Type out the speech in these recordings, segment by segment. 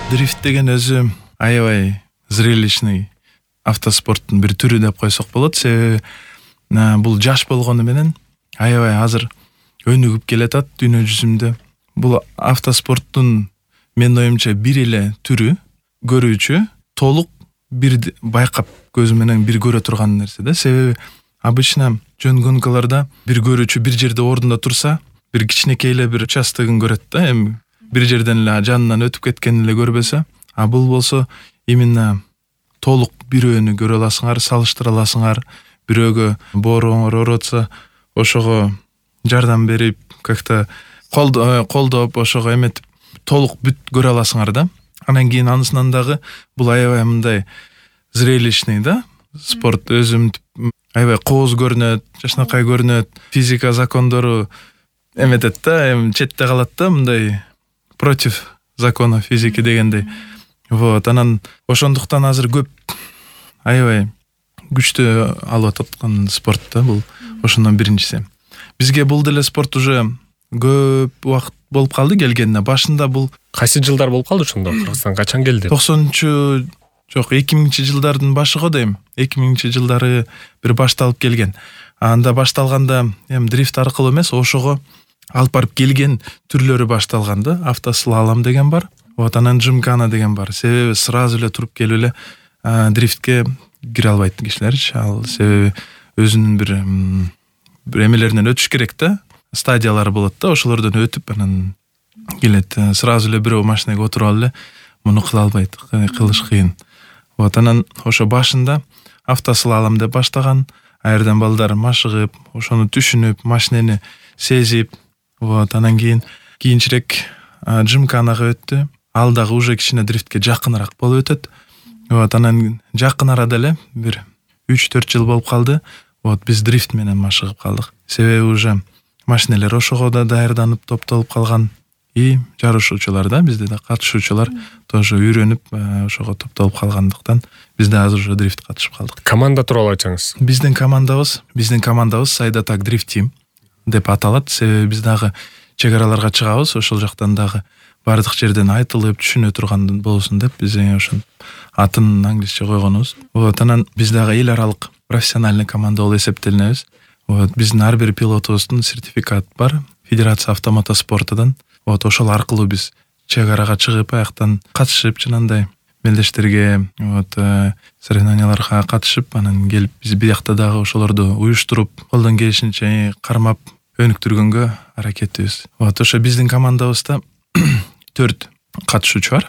Дрифт деген өзү аябай зрелищный автоспорттун бир түрү деп койсок болот. Себеби бул жаш болгону менен аябай азыр өнүгүп келатат дүйнө жүзүндө. Бул автоспорттун менин оюмча бир эле түрү, көрүүчү толук бир байкап көзү менен бир көрө турган нерсе да. Себеби обычно жөн гонкаларда бир көрүүчү бир жерде ордунда турса, бир кичинекей эле бир участогун көрөт да. Эми бир жерден эле жанынан өтүп кеткенин эле көрбөсө, а бул болсо именно толук бирөөнү көрө аласыңар, салыштыра аласыңар. Бирөөгө бооруңар ооротса, ошого жардам берип, как-то колдоп, ошого эметип толук бүт көрө аласыңар да. Анан кийин анысынан дагы бул аябай мындай зрелищный да. Спорт өзүм аябай кооз көрүнөт, жакшынакай көрүнөт, физика закондору эметет да, эми четте калат да, мындай против закона физики дегендей. Вот, анан ошондуктан азыр көп аябай күчтүү алып аткан спорт да бул. Ошондон биринчиси. Бизге бул деле спорт уже көп убакыт болуп калды келгенине. Башында бул кайсы жылдар болуп калды ошондо? Кыргызстанга качан келди? 90-чы жок, 2000-жылдардын башыгы дейм. 2000-жылдары бир башталып келген. Анда башталганда эми дрифт аркылуу эмес, ошого алып барып келген түрлөрү башталган да. Автослалом деген бар. Вот, анан жимкана деген бар. Себеби сразу эле туруп келип эле дрифтке кире албайт кишилерчи. Ал себеби өзүнүн бир эмелеринен өтүш керек да. Стадиялары болот да, ошолордон өтүп анан келет. Сразу эле бирөө машинеге отуруп алып эле муну кыла албайт, кылыш кыйын. Вот, анан ошо башында автослалом деп баштаган. Аерден балдар машыгып, ошону түшүнүп, машинени сезип, вот, анан кийинчерээк жимканага өттү. Ал дагы уже кичине дрифтке жакыныраак болуп өтөт. Вот, анан жакын арада эле бир 3-4 жыл болуп калды. Вот, биз дрифт менен машыгып калдык. Себеби уже машинелер ошого да даярданып топтолуп калган. И жарышуучулар да, бизде да катышуучулар тоже үйрөнүп ошого топтолуп калгандыктан биз да азыр уже дрифт катышып калдык. Команда тууралуу айтсаңыз. Биздин командабыз Сайдатак дрифт тим деп аталат. Себеби биз дагы чек араларга чыгабыз, ошол жактан дагы бардык жерден айтылып түшүнө турган болсун деп биз ошон атын англисче койгонубуз. Вот, анан биз дагы эл аралык профессиональный команда болуп эсептелинебиз. Вот, биздин ар бир пилотубуздун сертификаты бар Федерация автомотоспортудан. Вот, ошол аркылуу биз чек арага чыгып, аяктан катышып, жанагындай мелдештерге, вот, соревнованияларга катышып, анан келип биз биякта дагы ошолорду уюштуруп, колдон келишинче кармап өнүктүргөнгө аракетибиз. Вот, ошо биздин командабызда 4 катышуучу бар.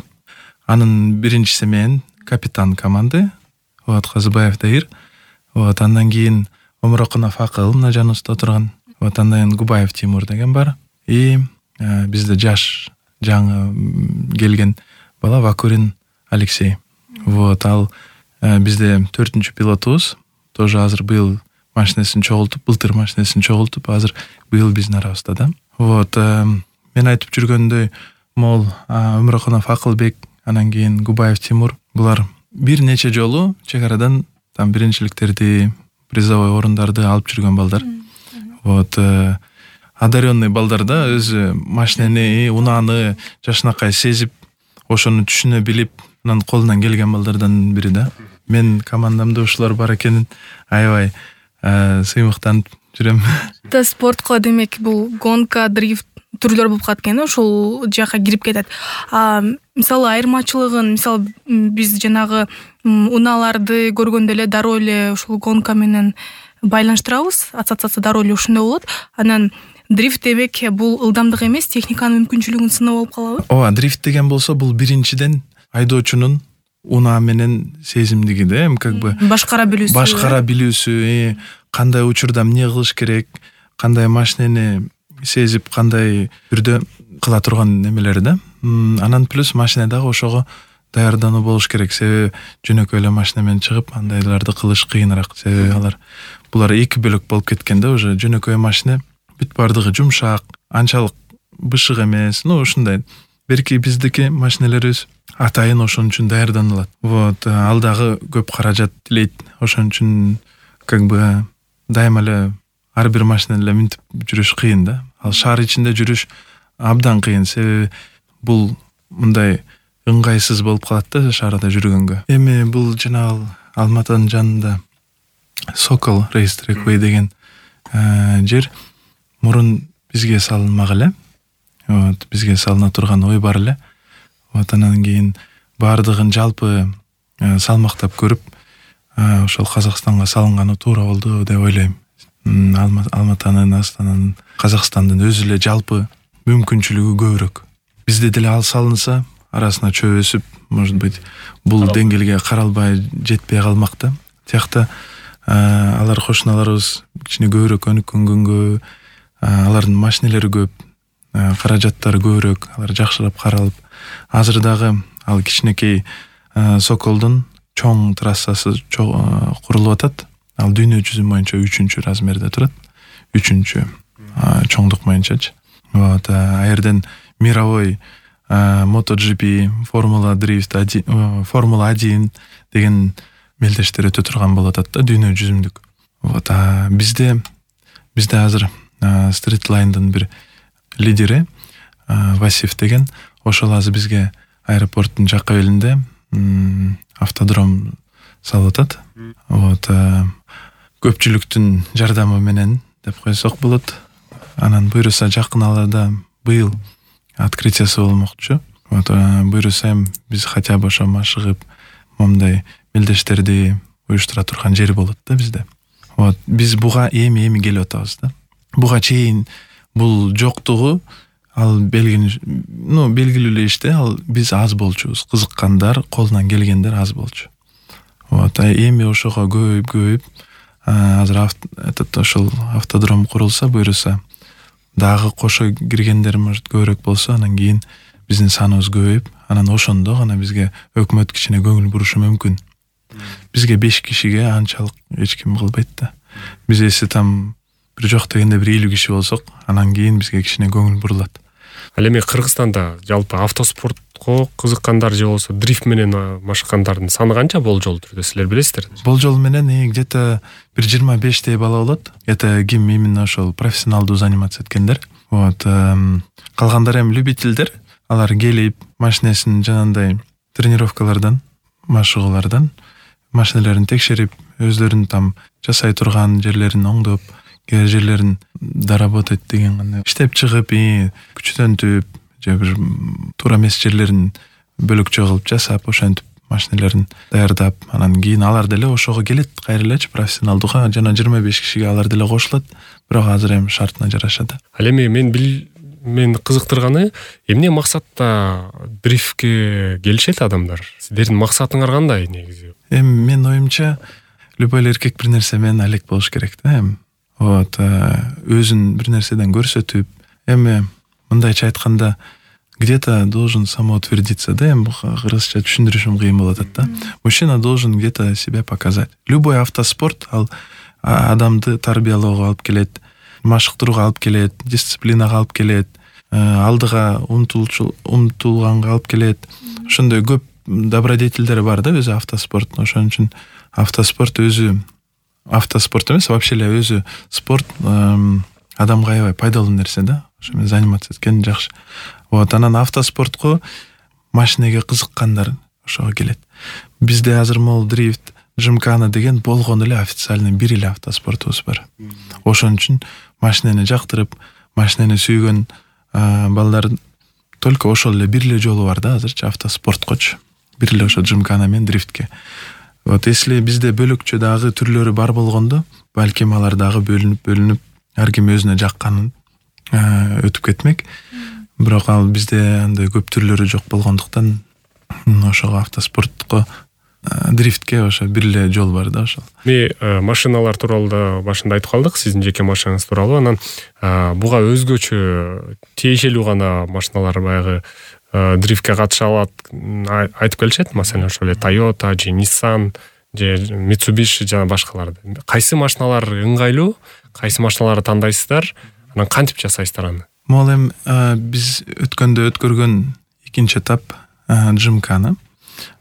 Анын биринчиси мен, капитан команды, вот, Казыбаев Даир. Вот, андан кийин Омурокунов Акыл, мына жаныбызда отурган. Вот, андан кийин Губаев Тимур деген бар. И бизде жаш жаңы келген бала Вакурин Алексей. Вот, ал бизде 4-чү пилотубуз. Тоже азыр быйыл машинесин чогултуп, былтыр машинесин чогултуп, азыр быйыл биздин арабызда да. Вот, мен айтып жүргөндөй, мол Омурокунов Акылбек, анан кийин Губаев Тимур, булар бир нече жолу чек арадан там биринчиликтерди, призовой орундарды алып жүргөн балдар. Вот, одаренный балдар да, өзү машинени, унааны жакшынакай сезип, ошону түшүнө билип, анан колунан келген балдардан бири да. Мен командамда ушулар бар экенин аябай сыймыктанып жүрөм. Спортко демек бул гонка, дрифт түрлөр болуп калат экен, ошол жака кирип кетет. Мисалы айырмачылыгын, мисалы биз жанагы унааларды көргөндө эле дароо эле ушул гонка менен байланыштырабыз, ассоциация дароо эле ушундай болот. Анан дрифт демек бул ылдамдык эмес, техниканын мүмкүнчүлүгүн сыноо болуп калабы? Ооба, дрифт деген болсо бул биринчиден айдоочунун унаа менен сезимдиги да, эми как бы башкара билүүсү, кандай учурда эмне кылыш керек, кандай машинени сезип, кандай түрдө кыла турган немелери да. Анан плюс машина дагы ошого даярдануу болуш керек. Себеби жөнөкөй эле машина менен чыгып, андайларды кылыш кыйыныраак. Себеби булар эки бөлөк болуп кеткен да, уже жөнөкөй машина бүт бардыгы жумшак, анчалык бышык эмес. Ушундай. Берки биздики машинелерибиз атайын ошон үчүн даярданылат. Вот, ал дагы көп каражат тилейт. Ошон үчүн как бы дайыма эле ар бир машина эле минтип жүрүш кыйын да. Ал шаар ичинде жүрүш абдан кыйын. Себеби бул мындай ыңгайсыз болуп калат да шаарда жүргөнгө. Эми бул жанагы Алматанын жанында Сокол Racetrack деген жер мурун бизге салынмак эле. Бизге салына турган ой бар эле. Анан кийин баардыгын жалпы салмактап көрүп, ошол Казакстанга салынганы туура болду деп ойлойм. Алматанын, Астананын, Казакстандын өзү эле жалпы мүмкүнчүлүгү көбүрөөк. Бизде деле ал салынса, арасына чөп өсүп, может быть, бул деңгээлге каралбай жетпей калмак да. Тиякта алар кошуналарыбыз кичине көбүрөөк өнүккөнгөнгө, алардын машинелери көп, каражаттары көбүрөөк, алар жакшырап каралып, азыр дагы ал кичинекей Соколдун чоң трассасы курулуп атат. Ал дүйнө жүзү боюнча 3-чү размерде турат. 3-чү чоңдук боюнчачы. А жерден мировой MotoGP, Формула 1 деген мелдештер өтө турган болот атат да, дүйнө жүзүмдүк. Бизде азыр Streetline'дын бир лидери Васиф деген, ошол азыр бизге аэропорттун жакка белинде автодром салып атат. Көпчүлүктүн жардамы менен деп койсок болот. Анан буйруса жакын арада быйыл открытиясы болмокчу. Буйруса биз хотя бы ошо машыгып, момундай мелдештерди уюштура турган жер болот да бизде. Биз буга эми келип атабыз да. Буга чейин бул жоктугу ал белгилүү эле иште, ал биз аз болчубуз. Кызыккандар, колунан келгендер аз болчу. Эми ошого көбөйүп, азыр ошол автодром курулса, буйруса дагы кошо киргендер может көбүрөөк болсо, анан кийин биздин саныбыз көбөйүп, анан ошондо гана бизге өкмөт кичине көңүл бурушу мүмкүн. Бизге 5 кишиге анчалык эч ким кылбайт да. Биз эси там бир жок дегенде бир 50 киши болсок, анан кийин бизге кичине көңүл бурулат. Ал эми Кыргызстанда жалпы автоспортко кызыккандар же болсо дрифт менен машыккандардын саны канча болжол түрдө силер билесиздер? Болжол менен где-то бир 25 бала болот. Это ким именно ошол профессионалдуу заниматься эткендер. Калгандар эми любительдер. Алар келип, машинесин жанагындай тренировкалардан, машыгуулардан машинелерин текшерип, өзлөрүн там жасай турган жерлерин оңдоп, жерлерин доработать деген иштеп чыгып, күчтөнтүп, же бир туура эмес жерлерин бөлөкчө кылып жасап, ошентип машинелерин даярдап, анан кийин алар деле ошого келет, кайра элечи профессионалдууга жана 25 кишиге алар деле кошулат, бирок азыр эми шартына жараша да. Ал эми мен кызыктырганы, эмне максатта дрифтке келишет адамдар? Сиздердин максатыңар кандай негизи? Эми менин оюмча, любой эркек бир нерсе менен алек болуш керек да. Өзүн бир нерседен көрсөтүп, эми мындайча айтканда, где-то должен самоутвердиться, да, эми кыргызча түшүндүрүшүм кыйын болот да. Мужчина должен где-то себя показать. Любой автоспорт ал адамды тарбиялоого алып келет, машыктырууга алып келет, дисциплинага алып келет, алдыга умтулганга алып келет. Ошондой көп добродетелдери бар да өзү автоспорттун. Ошон үчүн автоспорт эмес, вообще эле өзү спорт адамга аябай пайдалуу нерсе да. Ошо менен заниматься эткен жакшы. Анан автоспортко машинеге кызыккандар ошого келет. Бизде азыр дрифт, Джимкана деген болгон эле официальный бир эле автоспортубуз бар. Ошон үчүн машинени жактырып, машинени сүйгөн балдар только ошол эле бир эле жолу бар да азырчы автоспорткочу. Бир эле ошо Джимкана менен дрифтке. Если бизде бөлөкчө дагы түрлөрү бар болгондо, балким алар дагы бөлүнүп, ар ким өзүнө жакканын өтүп кетмек. Бирок ал бизде андай көп түрлөрү жок болгондуктан ошого автоспортко, дрифтке ошо бир эле жол бар да ошол. Машиналар тууралуу да башында айтып калдык, сиздин жеке машинаңыз тууралуу. Анан буга өзгөчө тиешелүү гана машиналар баягы дрифтке катыша алат айтып келишет. Маселен, ошол эле Toyota же Nissan же Mitsubishi жана башкаларды. Кайсы машиналар ыңгайлуу, кайсы машиналарды тандайсыздар? Анан кантип жасайсыздар аны? Могул эми биз өткөргөн экинчи этап Джимкана.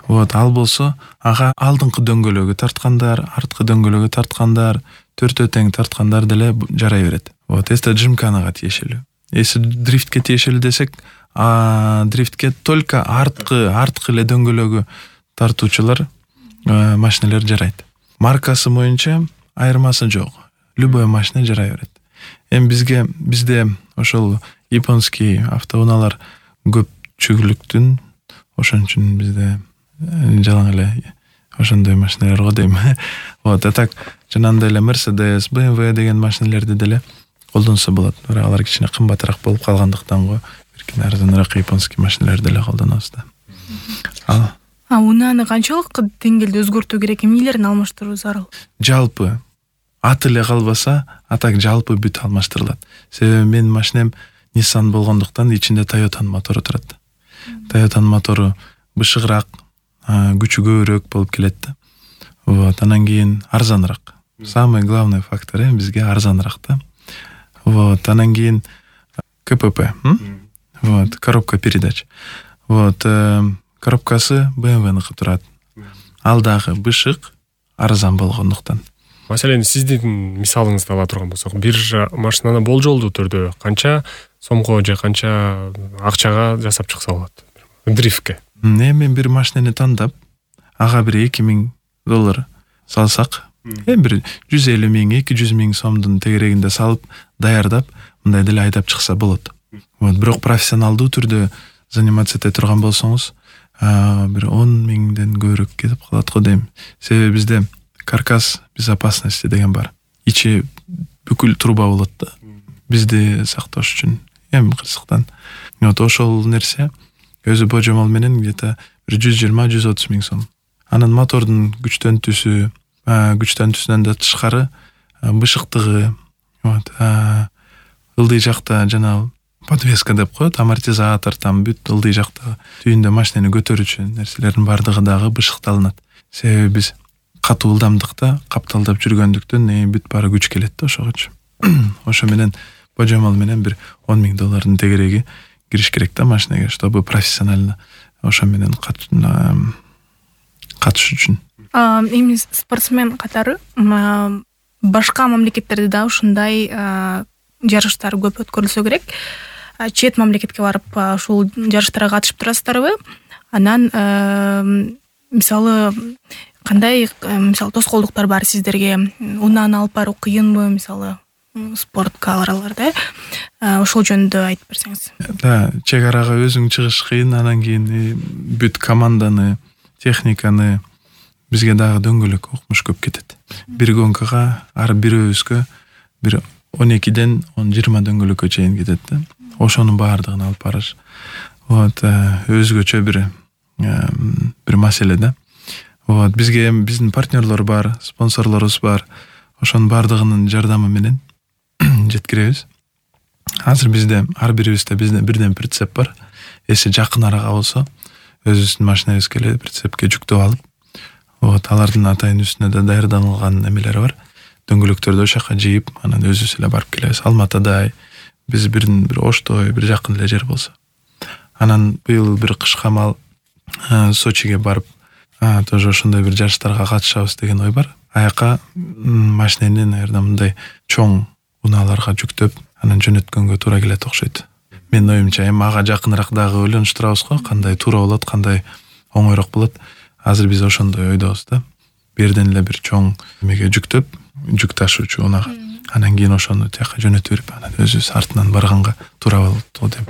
Ал болсо ага алдыңкы дөңгөлөгү тарткандар, арткы дөңгөлөгү тарткандар, төртөө тең тарткандар деле жарай берет. Эсте Джимканага тиешелүү. Эси дрифтке тиешелүү десек, дрифтке только арткы эле дөңгөлөгү тартуучулар машиналар жарайт. Маркасы боюнча айырмасы жок. Любой машина жарай берет. Эми бизде ошол японский автоунаалар көпчүлүктүн, ошон үчүн бизде жалаң эле ошондой машиналар го дейм. Вот, так жанагындай эле Mercedes, BMW деген машиналерди деле колдонсо болот. Бирок алар кичине кымбатыраак болуп калгандыктан го биркин арзаныраак японский машиналарды деле колдонобуз да. Унааны канчалык деңгээлде өзгөртүү керек, эмнелерин алмаштыруу зарыл? Жалпы аты эле калбаса, атак жалпы бүт алмаштырылат. Себеби менин машинем Nissan болгондуктан ичинде Toyota'нын мотору турат. Toyota'нын мотору бышыгыраак, күчү көбүрөөк болуп келет да. Вот, анан кийин арзаныраак. Самый главный фактор бизге арзаныраак да. Вот, анан кийин КПП, вот, коробка передач. Вот, коробкасы BMW-ныкы турат. Ал дагы бышык, арзан болгондуктан. Маселен, сиздин мисалыңызды ала турган болсок, бир машинаны болжолдуу түрдө канча сомго же канча акчага жасап чыкса болот дрифтке? Мен бир машинени тандап, ага бир $2000 салсак, бир 150 000, 200 000 сомдун тегерегинде салып, даярдап, мындай деле айдап чыкса болот. Вот, бирок профессионалдуу түрдө заниматься эте турган болсоңуз, бир 10 000ден көбүрөөк кетип калат го дейм. Себеби бизде каркас безопасности деген бар. Ичи бүкүл труба болот да. Бизди сакташ үчүн эми кырсыктан. Вот ошол нерсе өзү божомол менен где-то 120-130 000 сом. Анан мотордун күчтөнтүүсүнөн да тышкары бышыктыгы, вот, ылдый жакта жана подвеска деп коет, амортизатор, там бүт ылдый жакта түйүндө машинени көтөрүүчү нерселердин бардыгы дагы бышыкталынат. Себеби биз катуу ылдамдыкта капталдап жүргөндүктөн бүт баары күч келет да ошогочу. Ошо менен божомол менен бир $10,000 тегереги кириш керек да машинеге, чтобы профессионально ошо менен катыш үчүн. Эми спортсмен катары башка мамлекеттерде да ушундай жарыштар көп өткөрүлсө керек. Чет мамлекетке барып ушул жарыштарга катышып турасыздарбы? Анан мисалы кандай тоскоолдуктар бар сиздерге? Унааны алып баруу кыйынбы, мисалы спорткаларда? Ошол жөнүндө айтып берсеңиз. Да, чек арага өзүң чыгыш кыйын, анан кийин бүт команданы, техниканы бизге дагы дөңгөлөк окмуш көп кетет. Бир гонкага ар бирөөбүзгө бир 12ден 20 дөңгөлөккө чейин кетет да. Ошонун баардыгын алып барыш. Вот, өзгөчө бир маселе да. Вот, бизге биздин партнерлор бар, спонсорлорубуз бар. Ошонун баардыгынын жардамы менен жеткиребиз. Азыр бизде ар бирибизде бирден прицеп бар. Эси жакын арага болсо, өзүбүздүн машинабызга эле прицепке жүктөп алып, вот, алардын атайын үстүнө да даярдалган эмелери бар. Дөңгөлөктөрдү ошака жыйып, анан өзүбүз эле барып келебиз. Алматыда биз бир Оштой, бир жакын эле жер болсо. Анан быйыл бир кышка мал Сочиге барып, тоже ошондой бир жарыштарга катышабыз деген ой бар. Аяка машинени, наверное, мындай чоң унааларга жүктөп, анан жөнөткөнгө туура келет окшойт. Менин оюмча, эми ага жакыныраак дагы ойлонуштурабыз го, кандай туура болот, кандай оңойрок болот. Азыр биз ошондой ойдобуз да. Берден эле бир чоң эмеге жүктөп, жүк ташуучу унага. Анан кийин ошону тияка жөнөтүп берип, анан өзүбүз артынан барганга туура болот го деп.